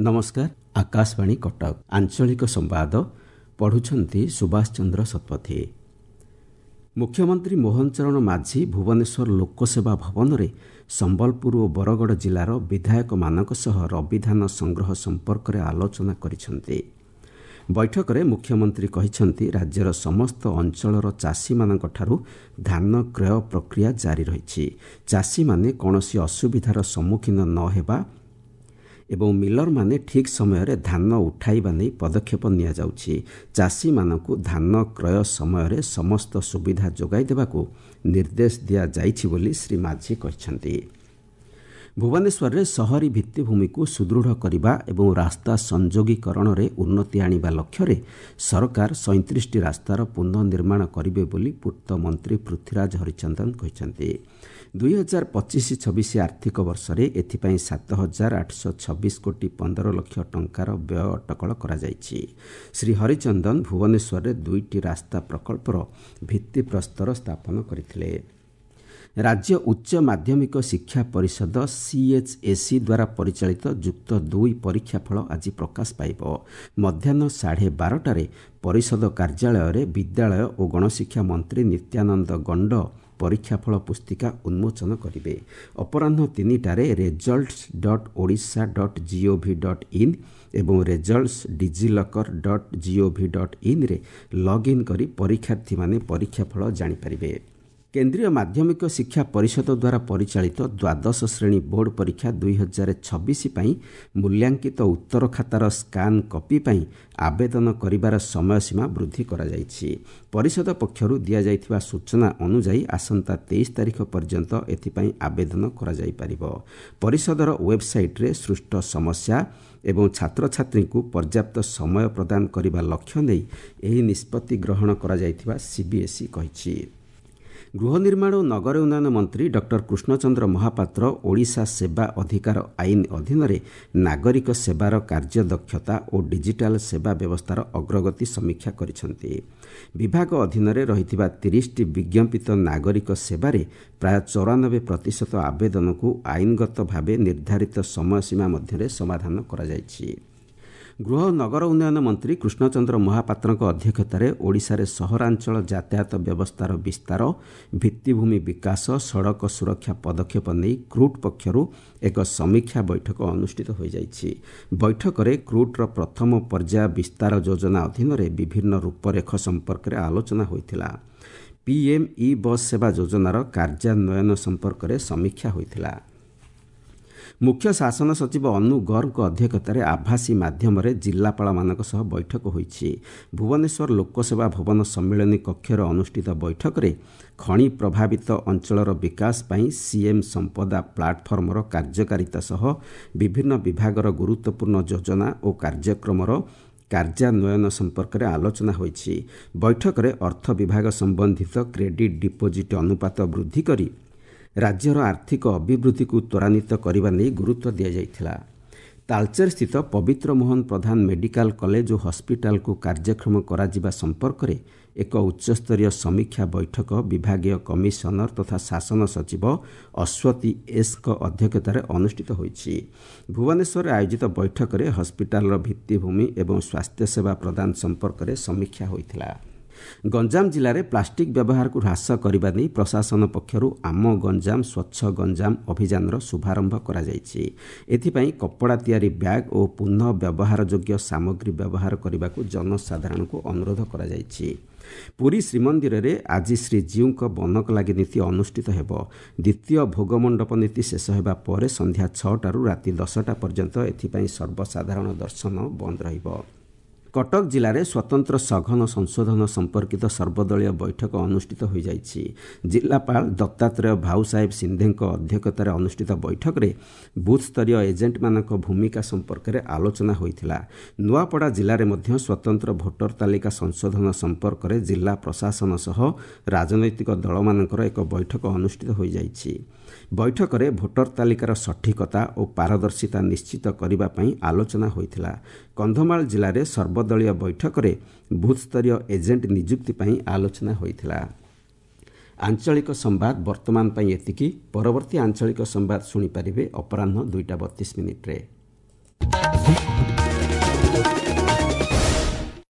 ନମସ୍କାର, ଆକାଶବାଣୀ କଟକ, ଆଞ୍ଚଳିକ ସମ୍ବାଦ ପଢ଼ୁଛନ୍ତି ସୁଭାଷ ଚନ୍ଦ୍ର ଶତପଥୀ। ମୁଖ୍ୟମନ୍ତ୍ରୀ ମୋହନ ଚରଣ ମାଝୀ ଭୁବନେଶ୍ୱର ଲୋକସେବା ଭବନରେ ସମ୍ବଲପୁର ଓ ବରଗଡ଼ ଜିଲ୍ଲାର ବିଧାୟକମାନଙ୍କ ସହ ରବି ଧାନ ସଂଗ୍ରହ ସମ୍ପର୍କରେ ଆଲୋଚନା କରିଛନ୍ତି। ବୈଠକରେ ମୁଖ୍ୟମନ୍ତ୍ରୀ କହିଛନ୍ତି, ରାଜ୍ୟର ସମସ୍ତ ଅଞ୍ଚଳର ଚାଷୀମାନଙ୍କଠାରୁ ଧାନ କ୍ରୟ ପ୍ରକ୍ରିୟା ଜାରି ରହିଛି। ଚାଷୀମାନେ କୌଣସି ଅସୁବିଧାର ସମ୍ମୁଖୀନ ନ ହେବା ଏବଂ ମିଲରମାନେ ଠିକ୍ ସମୟରେ ଧାନ ଉଠାଇବା ନେଇ ପଦକ୍ଷେପ ନିଆଯାଉଛି। ଚାଷୀମାନଙ୍କୁ ଧାନ କ୍ରୟ ସମୟରେ ସମସ୍ତ ସୁବିଧା ଯୋଗାଇ ଦେବାକୁ ନିର୍ଦ୍ଦେଶ ଦିଆଯାଇଛି ବୋଲି ଶ୍ରୀ ମାଝୀ କହିଛନ୍ତି। ଭୁବନେଶ୍ୱରରେ ସହରୀ ଭିତ୍ତିଭୂମିକୁ ସୁଦୃଢ଼ କରିବା ଏବଂ ରାସ୍ତା ସଂଯୋଗୀକରଣରେ ଉନ୍ନତି ଆଣିବା ଲକ୍ଷ୍ୟରେ ସରକାର 37ଟି ରାସ୍ତାର ପୁନଃନିର୍ମାଣ କରିବେ ବୋଲି ପୂର୍ତ୍ତ ମନ୍ତ୍ରୀ ପୃଥ୍ୱୀରାଜ ହରିଚନ୍ଦନ କହିଛନ୍ତି। 2025-26 ଆର୍ଥିକ ବର୍ଷରେ ଏଥିପାଇଁ 7826 କୋଟି 15 ଲକ୍ଷ ଟଙ୍କାର ବ୍ୟୟ ଅଟକଳ କରାଯାଇଛି। ଶ୍ରୀ ହରିଚନ୍ଦନ ଭୁବନେଶ୍ୱରରେ 2ଟି ରାସ୍ତା ପ୍ରକଳ୍ପର ଭିତ୍ତିପ୍ରସ୍ତର ସ୍ଥାପନ କରିଥିଲେ। ରାଜ୍ୟ ଉଚ୍ଚ ମାଧ୍ୟମିକ ଶିକ୍ଷା ପରିଷଦ ସିଏଚ୍ଏସ୍ଇ ଦ୍ୱାରା ପରିଚାଳିତ ଯୁକ୍ତ 2 ପରୀକ୍ଷା ଫଳ ଆଜି ପ୍ରକାଶ ପାଇବ। ମଧ୍ୟାହ୍ନ 12:30ଟାରେ ପରିଷଦ କାର୍ଯ୍ୟାଳୟରେ ବିଦ୍ୟାଳୟ ଓ ଗଣଶିକ୍ଷା ମନ୍ତ୍ରୀ ନିତ୍ୟାନନ୍ଦ ଗଣ୍ଡ ପରୀକ୍ଷାଫଳ ପୁସ୍ତିକା ଉନ୍ମୋଚନ କରିବେ। ଅପରାହ୍ନ 3ଟାରେ results.odisha.gov.in ଏବଂ results DigiLocker dot G O V dot ଇନ୍ରେ ଲଗ୍ଇନ୍ କରି ପରୀକ୍ଷାର୍ଥୀମାନେ ପରୀକ୍ଷାଫଳ ଜାଣିପାରିବେ। କେନ୍ଦ୍ରୀୟ ମାଧ୍ୟମିକ ଶିକ୍ଷା ପରିଷଦ ଦ୍ୱାରା ପରିଚାଳିତ ଦ୍ୱାଦଶ ଶ୍ରେଣୀ ବୋର୍ଡ ପରୀକ୍ଷା 2026 ପାଇଁ ମୂଲ୍ୟାଙ୍କିତ ଉତ୍ତର ଖାତାର ସ୍କାନ୍ କପି ପାଇଁ ଆବେଦନ କରିବାର ସମୟସୀମା ବୃଦ୍ଧି କରାଯାଇଛି। ପରିଷଦ ପକ୍ଷରୁ ଦିଆଯାଇଥିବା ସୂଚନା ଅନୁଯାୟୀ ଆସନ୍ତା 23 ତାରିଖ ପର୍ଯ୍ୟନ୍ତ ଏଥିପାଇଁ ଆବେଦନ କରାଯାଇପାରିବ। ପରିଷଦର ୱେବ୍ସାଇଟ୍ରେ ସୃଷ୍ଟ ସମସ୍ୟା ଏବଂ ଛାତ୍ରଛାତ୍ରୀଙ୍କୁ ପର୍ଯ୍ୟାପ୍ତ ସମୟ ପ୍ରଦାନ କରିବା ଲକ୍ଷ୍ୟ ନେଇ ଏହି ନିଷ୍ପତ୍ତି ଗ୍ରହଣ କରାଯାଇଥିବା ସିବିଏସ୍ଇ କହିଛି। ଗୃହ ନିର୍ମାଣ ଓ ନଗର ଉନ୍ନୟନ ମନ୍ତ୍ରୀ ଡକ୍ଟର କୃଷ୍ଣଚନ୍ଦ୍ର ମହାପାତ୍ର ଓଡ଼ିଶା ସେବା ଅଧିକାର ଆଇନ ଅଧୀନରେ ନାଗରିକ ସେବାର କାର୍ଯ୍ୟଦକ୍ଷତା ଓ ଡିଜିଟାଲ ସେବା ବ୍ୟବସ୍ଥାର ଅଗ୍ରଗତି ସମୀକ୍ଷା କରିଛନ୍ତି। ବିଭାଗ ଅଧୀନରେ ରହିଥିବା 30ଟି ବିଜ୍ଞାପିତ ନାଗରିକ ସେବାରେ ପ୍ରାୟ 94% ଆବେଦନକୁ ଆଇନଗତ ଭାବେ ନିର୍ଦ୍ଧାରିତ ସମୟସୀମା ମଧ୍ୟରେ ସମାଧାନ କରାଯାଇଛି। ଗୃହ ନଗର ଉନ୍ନୟନ ମନ୍ତ୍ରୀ କୃଷ୍ଣଚନ୍ଦ୍ର ମହାପାତ୍ରଙ୍କ ଅଧ୍ୟକ୍ଷତାରେ ଓଡ଼ିଶାରେ ସହରାଞ୍ଚଳ ଯାତାୟାତ ବ୍ୟବସ୍ଥାର ବିସ୍ତାର, ଭିତ୍ତିଭୂମି ବିକାଶ, ସଡ଼କ ସୁରକ୍ଷା ପଦକ୍ଷେପ ନେଇ କ୍ରୁଟ୍ ପକ୍ଷରୁ ଏକ ସମୀକ୍ଷା ବୈଠକ ଅନୁଷ୍ଠିତ ହୋଇଯାଇଛି। ବୈଠକରେ କ୍ରୁଟ୍ର ପ୍ରଥମ ପର୍ଯ୍ୟାୟ ବିସ୍ତାର ଯୋଜନା ଅଧୀନରେ ବିଭିନ୍ନ ରୂପରେଖ ସମ୍ପର୍କରେ ଆଲୋଚନା ହୋଇଥିଲା। ପିଏମ୍ ଇ ବସ୍ ସେବା ଯୋଜନାର କାର୍ଯ୍ୟାନ୍ୱୟନ ସମ୍ପର୍କରେ ସମୀକ୍ଷା ହୋଇଥିଲା। ମୁଖ୍ୟ ଶାସନ ସଚିବ ଅନୁ ଗର୍ଗଙ୍କ ଅଧ୍ୟକ୍ଷତାରେ ଆଭାସୀ ମାଧ୍ୟମରେ ଜିଲ୍ଲାପାଳମାନଙ୍କ ସହ ବୈଠକ ହୋଇଛି। ଭୁବନେଶ୍ୱର ଲୋକସେବା ଭବନ ସମ୍ମିଳନୀ କକ୍ଷରେ ଅନୁଷ୍ଠିତ ବୈଠକରେ ଖଣି ପ୍ରଭାବିତ ଅଞ୍ଚଳର ବିକାଶ ପାଇଁ ସିଏମ୍ ସମ୍ପଦା ପ୍ଲାଟଫର୍ମର କାର୍ଯ୍ୟକାରିତା ସହ ବିଭିନ୍ନ ବିଭାଗର ଗୁରୁତ୍ୱପୂର୍ଣ୍ଣ ଯୋଜନା ଓ କାର୍ଯ୍ୟକ୍ରମର କାର୍ଯ୍ୟାନ୍ୱୟନ ସମ୍ପର୍କରେ ଆଲୋଚନା ହୋଇଛି। ବୈଠକରେ ଅର୍ଥ ବିଭାଗ ସମ୍ବନ୍ଧିତ କ୍ରେଡିଟ୍ ଡିପୋଜିଟ୍ ଅନୁପାତ ବୃଦ୍ଧି କରି ରାଜ୍ୟର ଆର୍ଥିକ ଅଭିବୃଦ୍ଧିକୁ ତ୍ୱରାନ୍ୱିତ କରିବା ନେଇ ଗୁରୁତ୍ୱ ଦିଆଯାଇଥିଲା। ତାଳଚେରସ୍ଥିତ ପବିତ୍ର ମୋହନ ପ୍ରଧାନ ମେଡିକାଲ କଲେଜ ଓ ହସ୍ପିଟାଲକୁ କାର୍ଯ୍ୟକ୍ଷମ କରାଯିବା ସମ୍ପର୍କରେ ଏକ ଉଚ୍ଚସ୍ତରୀୟ ସମୀକ୍ଷା ବୈଠକ ବିଭାଗୀୟ କମିଶନର ତଥା ଶାସନ ସଚିବ ଅଶ୍ୱତୀ ଏସ୍ଙ୍କ ଅଧ୍ୟକ୍ଷତାରେ ଅନୁଷ୍ଠିତ ହୋଇଛି। ଭୁବନେଶ୍ୱରରେ ଆୟୋଜିତ ବୈଠକରେ ହସ୍ପିଟାଲର ଭିତ୍ତିଭୂମି ଏବଂ ସ୍ୱାସ୍ଥ୍ୟସେବା ପ୍ରଦାନ ସମ୍ପର୍କରେ ସମୀକ୍ଷା ହୋଇଥିଲା। ଗଞ୍ଜାମ ଜିଲ୍ଲାରେ ପ୍ଲାଷ୍ଟିକ୍ ବ୍ୟବହାରକୁ ହ୍ରାସ କରିବା ନେଇ ପ୍ରଶାସନ ପକ୍ଷରୁ ଆମ ଗଞ୍ଜାମ ସ୍ୱଚ୍ଛ ଗଞ୍ଜାମ ଅଭିଯାନର ଶୁଭାରମ୍ଭ କରାଯାଇଛି। ଏଥିପାଇଁ କପଡ଼ା ତିଆରି ବ୍ୟାଗ୍ ଓ ପୁନଃ ବ୍ୟବହାରଯୋଗ୍ୟ ସାମଗ୍ରୀ ବ୍ୟବହାର କରିବାକୁ ଜନସାଧାରଣଙ୍କୁ ଅନୁରୋଧ କରାଯାଇଛି। ପୁରୀ ଶ୍ରୀମନ୍ଦିରରେ ଆଜି ଶ୍ରୀଜୀଉଙ୍କ ବନକଲାଗି ନୀତି ଅନୁଷ୍ଠିତ ହେବ। ଦ୍ୱିତୀୟ ଭୋଗମଣ୍ଡପ ନୀତି ଶେଷ ହେବା ପରେ ସନ୍ଧ୍ୟା 6ଟାରୁ ରାତି 10ଟା ପର୍ଯ୍ୟନ୍ତ ଏଥିପାଇଁ ସର୍ବସାଧାରଣ ଦର୍ଶନ ବନ୍ଦ ରହିବ। କଟକ ଜିଲ୍ଲାରେ ସ୍ୱତନ୍ତ୍ର ସଘନ ସଂଶୋଧନ ସମ୍ପର୍କିତ ସର୍ବଦଳୀୟ ବୈଠକ ଅନୁଷ୍ଠିତ ହୋଇଯାଇଛି। ଜିଲ୍ଲାପାଳ ଦତ୍ତାତ୍ରେୟ ଭାଉସାହେବ ସିନ୍ଧେଙ୍କ ଅଧ୍ୟକ୍ଷତାରେ ଅନୁଷ୍ଠିତ ବୈଠକରେ ବୁଥ୍ସ୍ତରୀୟ ଏଜେଣ୍ଟମାନଙ୍କ ଭୂମିକା ସମ୍ପର୍କରେ ଆଲୋଚନା ହୋଇଥିଲା। ନୂଆପଡ଼ା ଜିଲ୍ଲାରେ ମଧ୍ୟ ସ୍ୱତନ୍ତ୍ର ଭୋଟର ତାଲିକା ସଂଶୋଧନ ସମ୍ପର୍କରେ ଜିଲ୍ଲା ପ୍ରଶାସନ ସହ ରାଜନୈତିକ ଦଳମାନଙ୍କର ଏକ ବୈଠକ ଅନୁଷ୍ଠିତ ହୋଇଯାଇଛି। ବୈଠକରେ ଭୋଟର ତାଲିକାର ସଠିକତା ଓ ପାରଦର୍ଶିତା ନିଶ୍ଚିତ କରିବା ପାଇଁ ଆଲୋଚନା ହୋଇଥିଲା। କନ୍ଧମାଳ ଜିଲ୍ଲାରେ ସର୍ବଦଳୀୟ ବୈଠକରେ ବୁଥ୍ସ୍ତରୀୟ ଏଜେଣ୍ଟ ନିଯୁକ୍ତି ପାଇଁ ଆଲୋଚନା ହୋଇଥିଲା। ଆଞ୍ଚଳିକ ସମ୍ବାଦ ବର୍ତ୍ତମାନ ପାଇଁ ଏତିକି। ପରବର୍ତ୍ତୀ ଆଞ୍ଚଳିକ ସମ୍ବାଦ ଶୁଣିପାରିବେ ଅପରାହ୍ନ 2ଟା 32 ମିନିଟ୍ରେ।